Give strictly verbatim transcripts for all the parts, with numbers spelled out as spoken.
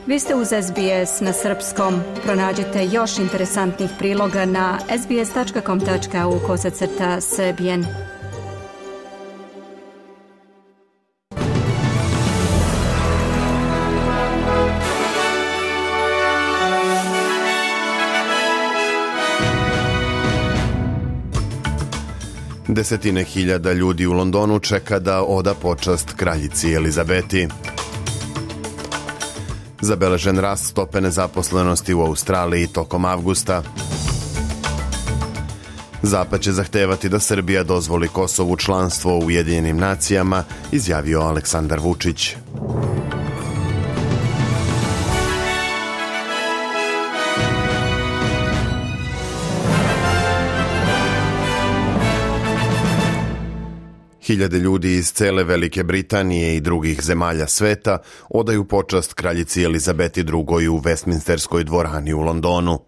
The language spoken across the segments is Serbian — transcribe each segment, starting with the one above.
Vi ste uz S B S na srpskom. Pronađite još interesantnih priloga na sbs.com.au kosacrta srbijen. Desetine hiljada ljudi u Londonu čeka da oda počast kraljici Elizabeti. Zabeležen rast stope nezaposlenosti u Australiji tokom avgusta. Zapad će zahtevati da Srbija dozvoli Kosovu članstvo u Ujedinjenim nacijama, izjavio Aleksandar Vučić. Hiljade ljudi iz cele Velike Britanije i drugih zemalja sveta odaju počast kraljici Elizabeti drugoj u Westminsterskoj dvorani u Londonu.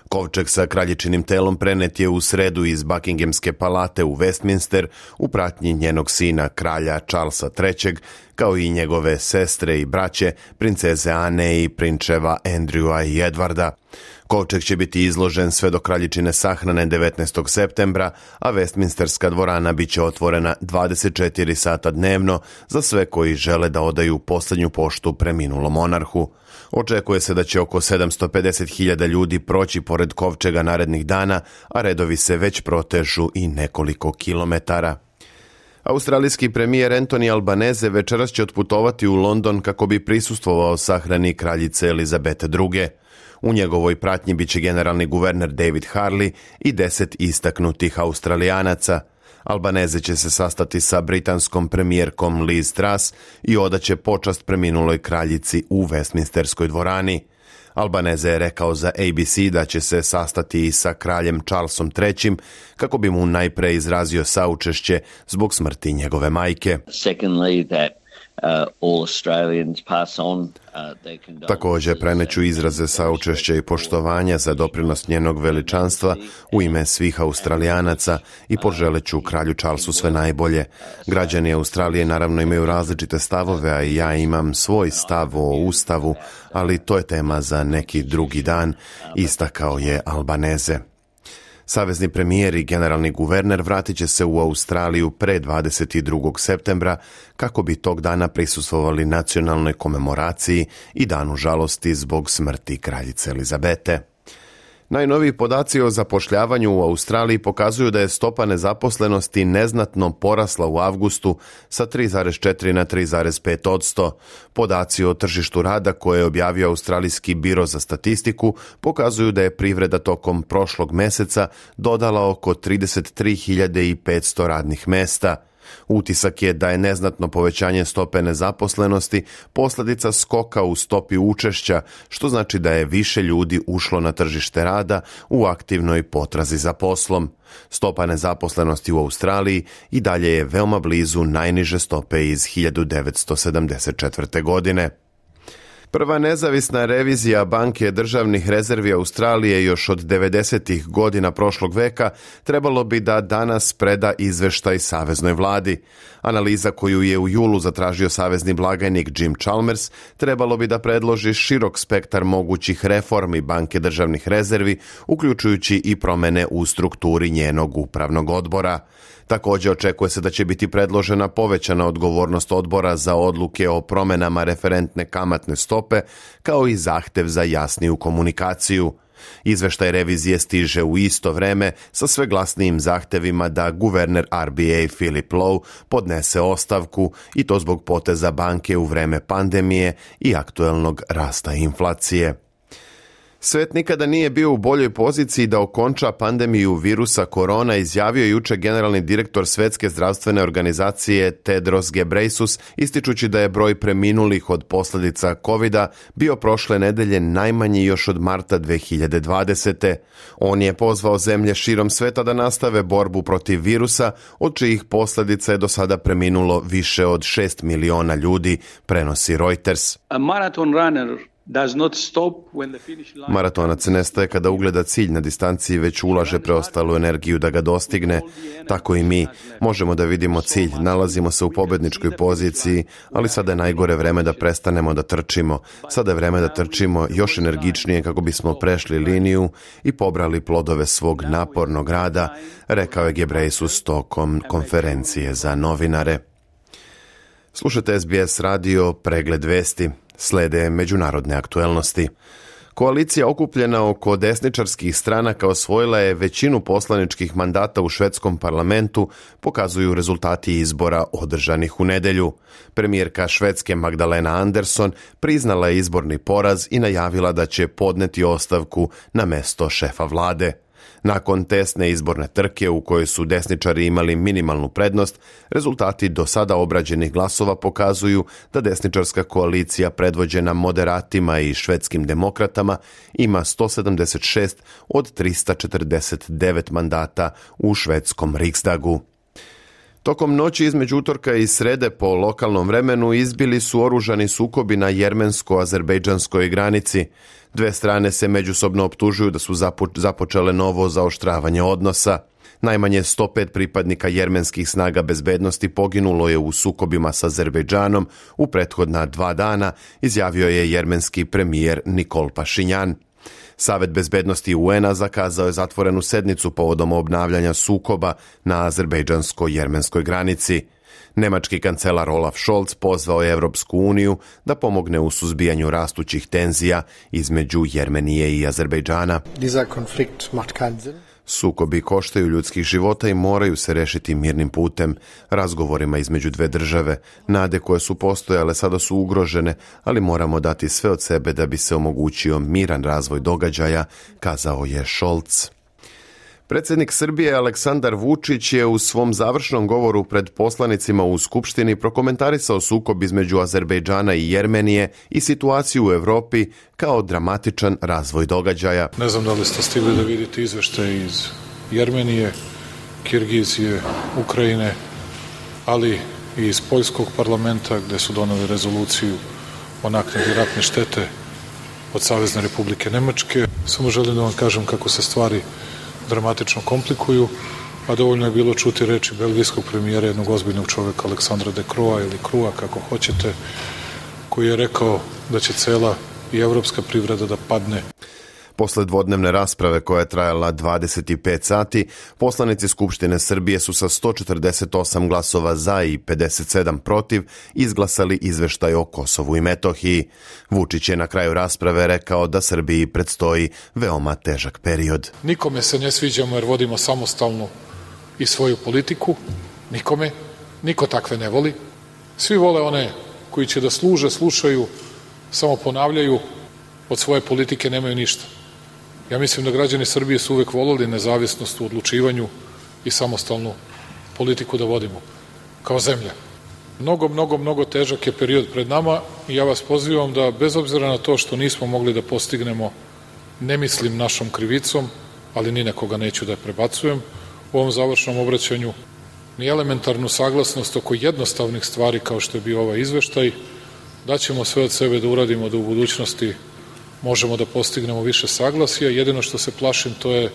Kovčeg sa kraljičinim telom prenet je u sredu iz Buckinghamske palate u Westminster u pratnji njenog sina kralja Charlesa trećeg, kao i njegove sestre i braće, princeze Ane i prinčeva Andrewa i Edwarda. Kovčeg će biti izložen sve do kraljičine sahrane devetnaestog septembra, a Westminsterska dvorana biće otvorena dvadeset četiri sata dnevno za sve koji žele da odaju posljednju poštu preminulom monarhu. Očekuje se da će oko sedamsto pedeset hiljada ljudi proći pored kovčega narednih dana, a redovi se već protežu i nekoliko kilometara. Australijski premijer Anthony Albanese večeras će otputovati u London kako bi prisustvovao sahrani kraljice Elizabete druge. U njegovoj pratnji biće generalni guverner David Harley i deset istaknutih Australijanaca. Albanese će se sastati sa britanskom premijerkom Liz Truss i odaće počast preminuloj kraljici u Westminsterskoj dvorani. Albanese je rekao za A B C da će se sastati i sa kraljem Charlesom trećim kako bi mu najpre izrazio saučešće zbog smrti njegove majke. Secondly, that Uh, all Australians pass on, uh, their condolences. Također preneću izraze saučešća i poštovanja za doprinos njenog veličanstva u ime svih Australijanaca i poželeću kralju Charlesu sve najbolje. Građani Australije naravno imaju različite stavove, a i ja imam svoj stav o Ustavu, ali to je tema za neki drugi dan, istakao je Albanese. Savezni premijer i generalni guverner vratit će se u Australiju pre dvadeset drugog septembra kako bi tog dana prisustvovali nacionalnoj komemoraciji i danu žalosti zbog smrti kraljice Elizabete. Najnoviji podaci o zapošljavanju u Australiji pokazuju da je stopa nezaposlenosti neznatno porasla u avgustu sa tri zarez četiri na tri zarez pet odsto. Podaci o tržištu rada koje je objavio Australijski biro za statistiku pokazuju da je privreda tokom prošlog meseca dodala oko trideset tri hiljade petsto radnih mesta. Utisak je da je neznatno povećanje stope nezaposlenosti posljedica skoka u stopi učešća, što znači da je više ljudi ušlo na tržište rada u aktivnoj potrazi za poslom. Stopa nezaposlenosti u Australiji i dalje je veoma blizu najniže stope iz hiljadu devetsto sedamdeset četvrte. godine. Prva nezavisna revizija Banke državnih rezervi Australije još od devedesetih godina prošlog veka trebalo bi da danas preda izveštaj saveznoj vladi. Analiza koju je u julu zatražio savezni blagajnik Jim Chalmers trebalo bi da predloži širok spektar mogućih reformi Banke državnih rezervi, uključujući i promene u strukturi njenog upravnog odbora. Također očekuje se da će biti predložena povećana odgovornost odbora za odluke o promenama referentne kamatne stope, kao i zahtev za jasniju komunikaciju. Izveštaj revizije stiže u isto vreme sa sve glasnijim zahtevima da guverner R B A Philip Lowe podnese ostavku, i to zbog poteza banke u vreme pandemije i aktuelnog rasta inflacije. Svet nikada nije bio u boljoj poziciji da okonča pandemiju virusa korona, izjavio juče generalni direktor Svetske zdravstvene organizacije Tedros Ghebreyesus, ističući da je broj preminulih od posljedica kovida bio prošle nedelje najmanji još od marta dve hiljade dvadesete. On je pozvao zemlje širom sveta da nastave borbu protiv virusa, od čijih posljedica je do sada preminulo više od šest miliona ljudi, prenosi Reuters. A marathon runner Maratonac nestaje kada ugleda cilj na distanciji, već ulaže preostalu energiju da ga dostigne. Tako i mi možemo da vidimo cilj, nalazimo se u pobedničkoj poziciji, ali sada je najgore vreme da prestanemo da trčimo. Sada je vreme da trčimo još energičnije kako bismo prešli liniju i pobrali plodove svog napornog rada, rekao je Gebreyesus tokom konferencije za novinare. Slušate S B S radio, pregled vesti. Slede međunarodne aktuelnosti. Koalicija okupljena oko desničarskih stranaka osvojila je većinu poslaničkih mandata u švedskom parlamentu, pokazuju rezultati izbora održanih u nedelju. Premijerka Švedske Magdalena Andersson priznala je izborni poraz i najavila da će podneti ostavku na mesto šefa vlade. Nakon tesne izborne trke u kojoj su desničari imali minimalnu prednost, rezultati do sada obrađenih glasova pokazuju da desničarska koalicija predvođena moderatima i švedskim demokratama ima sto sedamdeset šest od trista četrdeset devet mandata u švedskom Riksdagu. Tokom noći između utorka i srede po lokalnom vremenu izbili su oružani sukobi na jermensko-azerbejdžanskoj granici. Dve strane se međusobno optužuju da su zapo- započele novo zaoštravanje odnosa. Najmanje sto pet pripadnika jermenskih snaga bezbednosti poginulo je u sukobima sa Azerbejdžanom u prethodna dva dana, izjavio je jermenski premijer Nikol Pašinjan. Savet bezbednosti U N-a zakazao je zatvorenu sednicu povodom obnavljanja sukoba na azerbejdžansko-jermenskoj granici. Nemački kancelar Olaf Scholz pozvao je Evropsku uniju da pomogne u suzbijanju rastućih tenzija između Jermenije i Azerbejdžana. Sukobi koštaju ljudskih života i moraju se rešiti mirnim putem, razgovorima između dve države. Nade koje su postojale sada su ugrožene, ali moramo dati sve od sebe da bi se omogućio miran razvoj događaja, kazao je Scholz. Predsjednik Srbije Aleksandar Vučić je u svom završnom govoru pred poslanicima u Skupštini prokomentarisao sukob između Azerbejdžana i Jermenije i situaciju u Evropi kao dramatičan razvoj događaja. Ne znam da li ste stigli da vidite izveštaje iz Jermenije, Kirgizije, Ukrajine, ali i iz Poljskog parlamenta gde su doneli rezoluciju o naknadi ratne štete od Savezne Republike Nemačke. Samo želim da vam kažem kako se stvari dramatično komplikuju, a dovoljno je bilo čuti reči belgijskog premijera, jednog ozbiljnog čoveka, Aleksandra de Crua ili Crua, kako hoćete, koji je rekao da će cela i evropska privreda da padne. Posle dvodnevne rasprave koja je trajala dvadeset pet sati, poslanici Skupštine Srbije su sa sto četrdeset osam glasova za i pedeset sedam protiv izglasali izveštaj o Kosovu i Metohiji. Vučić je na kraju rasprave rekao da Srbiji predstoji veoma težak period. Nikome se ne sviđamo jer vodimo samostalnu i svoju politiku. Nikome. Niko takve ne voli. Svi vole one koji će da služe, slušaju, samo ponavljaju, od svoje politike nemaju ništa. Ja mislim da građani Srbije su uvek voleli nezavisnost u odlučivanju i samostalnu politiku da vodimo kao zemlja. Mnogo, mnogo, mnogo težak je period pred nama i ja vas pozivam da bez obzira na to što nismo mogli da postignemo, ne mislim našom krivicom, ali ni nekoga neću da prebacujem u ovom završnom obraćanju, ni elementarnu saglasnost oko jednostavnih stvari kao što je bio ovaj izveštaj, da ćemo sve od sebe da uradimo da u budućnosti možemo da postignemo više saglasja. Jedino što se plašim to je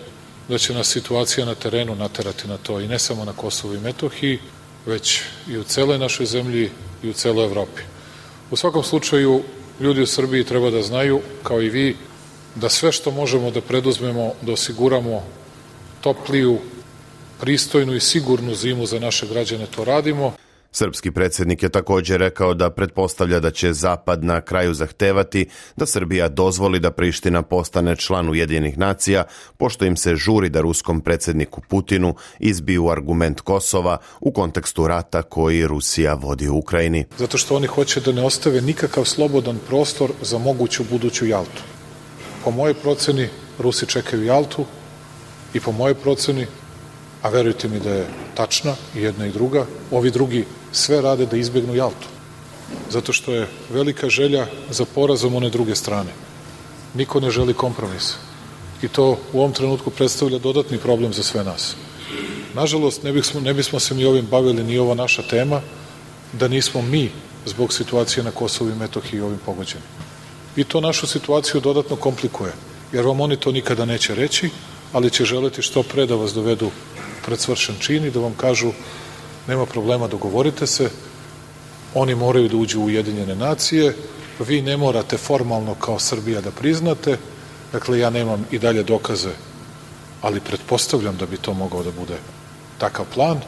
da će nas situacija na terenu naterati na to i ne samo na Kosovu i Metohiji, već i u celoj našoj zemlji i u celoj Evropi. U svakom slučaju, ljudi u Srbiji treba da znaju, kao i vi, da sve što možemo da preduzmemo, da osiguramo topliju, pristojnu i sigurnu zimu za naše građane, to radimo. Srpski predsjednik je također rekao da pretpostavlja da će Zapad na kraju zahtevati da Srbija dozvoli da Priština postane član Ujedinjenih nacija, pošto im se žuri da ruskom predsjedniku Putinu izbiju argument Kosova u kontekstu rata koji Rusija vodi u Ukrajini. Zato što oni hoće da ne ostave nikakav slobodan prostor za moguću buduću Jaltu. Po mojoj proceni, Rusi čekaju Jaltu i po mojoj proceni, a verujte mi da je tačna i jedna i druga, ovi drugi sve rade da izbegnu Jaltu. Zato što je velika želja za porazom one druge strane. Niko ne želi kompromis. I to u ovom trenutku predstavlja dodatni problem za sve nas. Nažalost, ne bismo, ne bismo se mi ovim bavili, ni ova naša tema, da nismo mi zbog situacije na Kosovu i Metohiji ovim pogođeni. i to našu situaciju dodatno komplikuje, jer vam oni to nikada neće reći, ali će želeti što pre da vas dovedu pred svršen čin i da vam kažu nema problema, dogovorite se, oni moraju da uđu u Ujedinjene nacije, vi ne morate formalno kao Srbija da priznate, dakle ja nemam i dalje dokaze, ali pretpostavljam da bi to mogao da bude takav plan.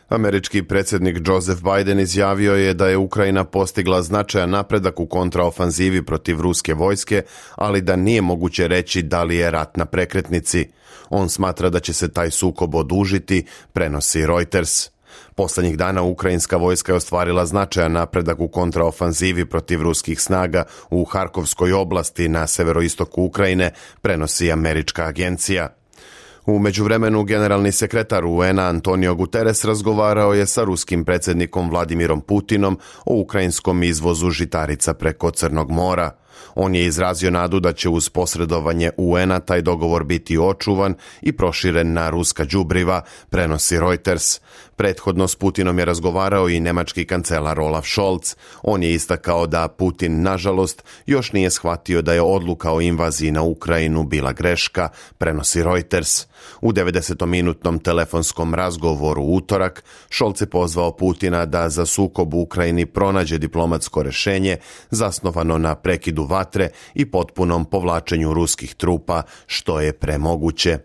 Američki predsjednik Joseph Biden izjavio je da je Ukrajina postigla značajan napredak u kontraofanzivi protiv ruske vojske, ali da nije moguće reći da li je rat na prekretnici. On smatra da će se taj sukob odužiti, prenosi Reuters. Poslednjih dana ukrajinska vojska je ostvarila značajan napredak u kontraofanzivi protiv ruskih snaga u Harkovskoj oblasti na severoistoku Ukrajine, prenosi američka agencija. U međuvremenu generalni sekretar U N-a Antonio Guterres razgovarao je sa ruskim predsjednikom Vladimirom Putinom o ukrajinskom izvozu žitarica preko Crnog mora. On je izrazio nadu da će uz posredovanje U N-a taj dogovor biti očuvan i proširen na ruska đubriva, prenosi Reuters. Prethodno s Putinom je razgovarao i nemački kancelar Olaf Scholz. On je istakao da Putin, nažalost, još nije shvatio da je odluka o invaziji na Ukrajinu bila greška, prenosi Reuters. U devedesetminutnom telefonskom razgovoru u utorak, Scholz je pozvao Putina da za sukob u Ukrajini pronađe diplomatsko rešenje zasnovano na prekidu vatre i potpunom povlačenju ruskih trupa, što je premoguće.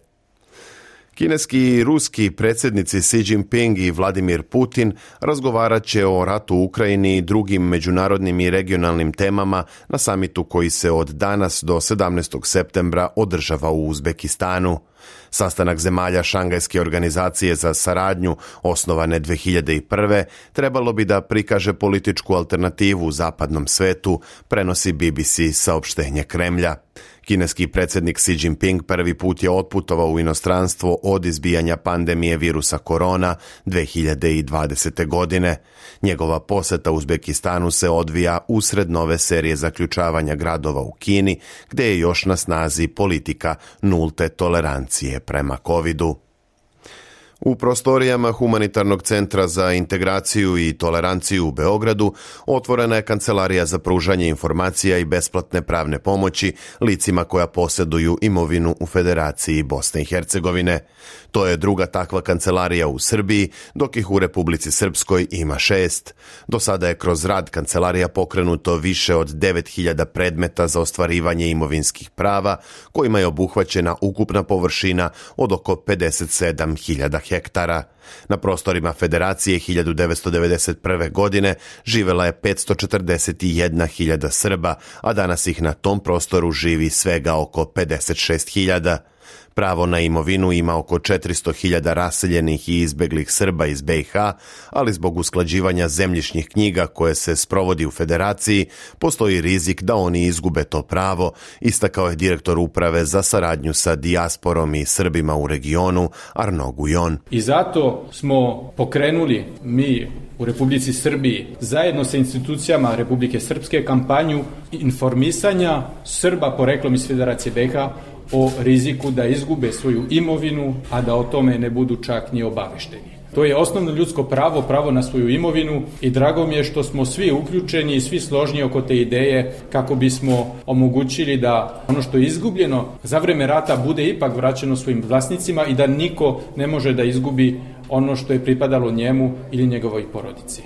Kineski i ruski predsjednici Xi Jinping i Vladimir Putin razgovarat će o ratu u Ukrajini i drugim međunarodnim i regionalnim temama na samitu koji se od danas do sedamnaestog septembra održava u Uzbekistanu. Sastanak zemalja Šangajske organizacije za saradnju, osnovane dve hiljade prve. trebalo bi da prikaže političku alternativu u zapadnom svetu, prenosi B B C saopštenje Kremlja. Kineski predsjednik Xi Jinping prvi put je otputovao u inostranstvo od izbijanja pandemije virusa korona dve hiljade dvadesete. godine. Njegova poseta Uzbekistanu se odvija usred nove serije zaključavanja gradova u Kini, gdje je još na snazi politika nulte tolerancije prema covidu. U prostorijama Humanitarnog centra za integraciju i toleranciju u Beogradu otvorena je kancelarija za pružanje informacija i besplatne pravne pomoći licima koja posjeduju imovinu u Federaciji Bosne i Hercegovine. To je druga takva kancelarija u Srbiji, dok ih u Republici Srpskoj ima šest. Do sada je kroz rad kancelarija pokrenuto više od devet hiljada predmeta za ostvarivanje imovinskih prava, kojima je obuhvaćena ukupna površina od oko pedeset sedam hiljada hektara. Na prostorima Federacije hiljadu devetsto devedeset prve. godine živela je petsto četrdeset jedna hiljada Srba, a danas ih na tom prostoru živi svega oko pedeset šest hiljada. Pravo na imovinu ima oko četiristo hiljada raseljenih i izbeglih Srba iz B i H, ali zbog usklađivanja zemljišnih knjiga koje se sprovodi u Federaciji, postoji rizik da oni izgube to pravo, istakao je direktor uprave za saradnju sa dijasporom i Srbima u regionu, Arno Gujon. I zato smo pokrenuli mi u Republici Srbiji zajedno sa institucijama Republike Srpske kampanju informisanja Srba poreklom iz Federacije B i H o riziku da izgube svoju imovinu, a da o tome ne budu čak ni obavešteni. To je osnovno ljudsko pravo, pravo na svoju imovinu i drago mi je što smo svi uključeni i svi složni oko te ideje kako bismo omogućili da ono što je izgubljeno za vreme rata bude ipak vraćeno svojim vlasnicima i da niko ne može da izgubi ono što je pripadalo njemu ili njegovoj porodici.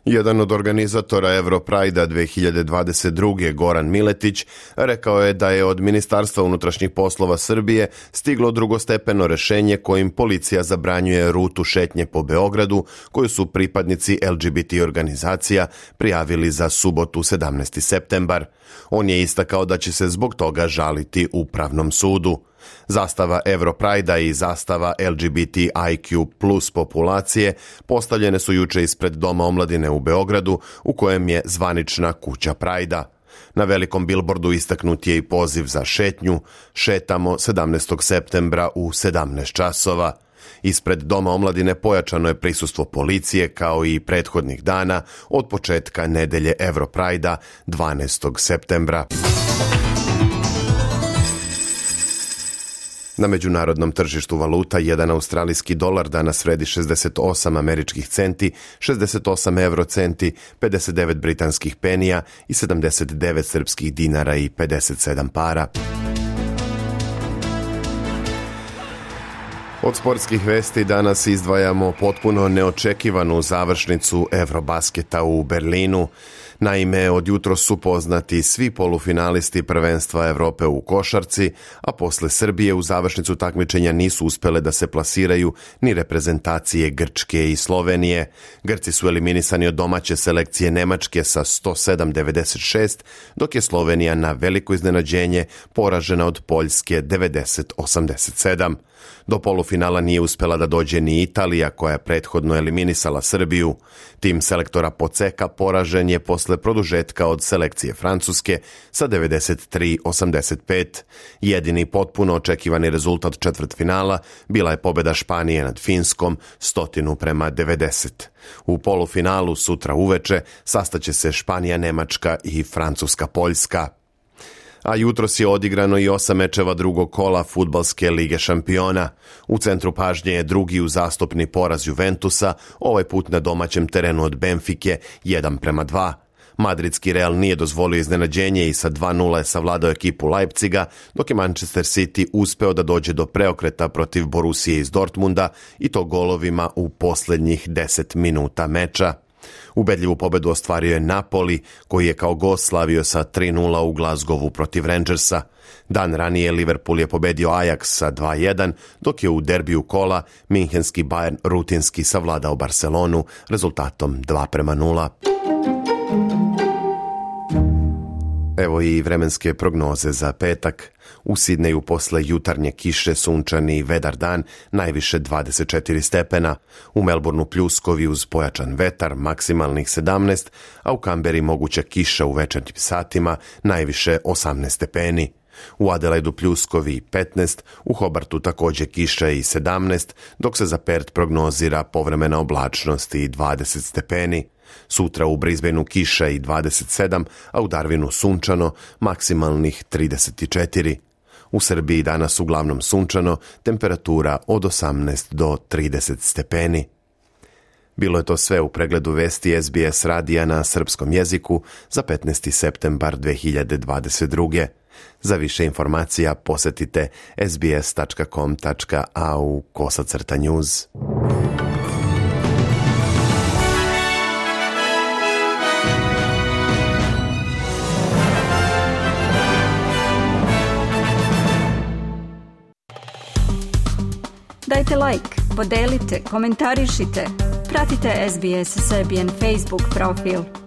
Jedan od organizatora Europride-a dve hiljade dvadeset druge. Goran Miletić rekao je da je od Ministarstva unutrašnjih poslova Srbije stiglo drugostepeno rešenje kojim policija zabranjuje rutu šetnje po Beogradu koju su pripadnici L G B T organizacija prijavili za subotu sedamnaesti septembar. On je istakao da će se zbog toga žaliti Upravnom sudu. Zastava Europride-a i zastava L G B T I Q plus populacije postavljene su juče ispred Doma omladine u Beogradu, u kojem je zvanična kuća Prajda. Na velikom bilbordu istaknut je i poziv za šetnju Šetamo sedamnaestog septembra u sedamnaest časova. Ispred Doma omladine pojačano je prisustvo policije kao i prethodnih dana od početka nedelje Europride-a dvanaestog septembra. Na međunarodnom tržištu valuta jedan australijski dolar danas vredi šezdeset osam američkih centi, šezdeset osam euro centi, pedeset devet britanskih penija i sedamdeset devet srpskih dinara i pedeset sedam para. Od sportskih vesti danas izdvajamo potpuno neočekivanu završnicu Eurobasketa u Berlinu. Naime, od jutros su poznati svi polufinalisti prvenstva Evrope u košarci, a posle Srbije u završnicu takmičenja nisu uspele da se plasiraju ni reprezentacije Grčke i Slovenije. Grci su eliminisani od domaće selekcije Nemačke sa sto sedam devedeset šest, dok je Slovenija na veliko iznenađenje poražena od Poljske devedeset osamdeset sedam. Do polufinala nije uspela da dođe ni Italija, koja je prethodno eliminisala Srbiju. Tim selektora Poceka poražen je posle produžetka od selekcije Francuske sa devedeset tri osamdeset pet. Jedini potpuno očekivani rezultat četvrtfinala bila je pobeda Španije nad Finskom stotinu prema devedeset. U polufinalu sutra uveče sastaće se Španija, Nemačka i Francuska, Poljska. A jutros je odigrano i osam mečeva drugog kola Fudbalske lige šampiona. U centru pažnje je drugi uzastopni poraz Juventusa, ovaj put na domaćem terenu od Benfike jedan prema dva. Madridski Real nije dozvolio iznenađenje i sa dva nula je savladao ekipu Leipziga, dok je Manchester City uspeo da dođe do preokreta protiv Borusije iz Dortmunda i to golovima u posljednjih deset minuta meča. Ubedljivu pobedu ostvario je Napoli, koji je kao gost slavio sa tri nula u Glasgowu protiv Rangersa. Dan ranije Liverpool je pobedio Ajax sa dva jedan, dok je u derbiju kola minhenski Bayern rutinski savladao Barcelonu rezultatom dva prema nula. Evo i vremenske prognoze za petak. U Sidneju posle jutarnje kiše sunčani i vedar dan, najviše dvadeset četiri stepena. U Melbourneu pljuskovi uz pojačan vetar, maksimalnih sedamnaest, a u Kamberi moguća kiša u večernjim satima, najviše osamnaest stepeni. U Adelaidu pljuskovi petnaest, u Hobartu također kiša i sedamnaest, dok se za Perth prognozira povremena oblačnost i dvadeset stepeni. Sutra u Brisbaneu kiša i dvadeset sedam, a u Darwinu sunčano, maksimalnih trideset četiri. U Srbiji danas uglavnom sunčano, temperatura od osamnaest do trideset stepeni. Bilo je to sve u pregledu vesti S B S radija na srpskom jeziku za petnaesti septembar dve hiljade dvadeset druge. Za više informacija posetite sbs tačka com tačka a u kosacrta news. Dajte like, podelite, komentarišite, pratite S B S Serbian Facebook profil.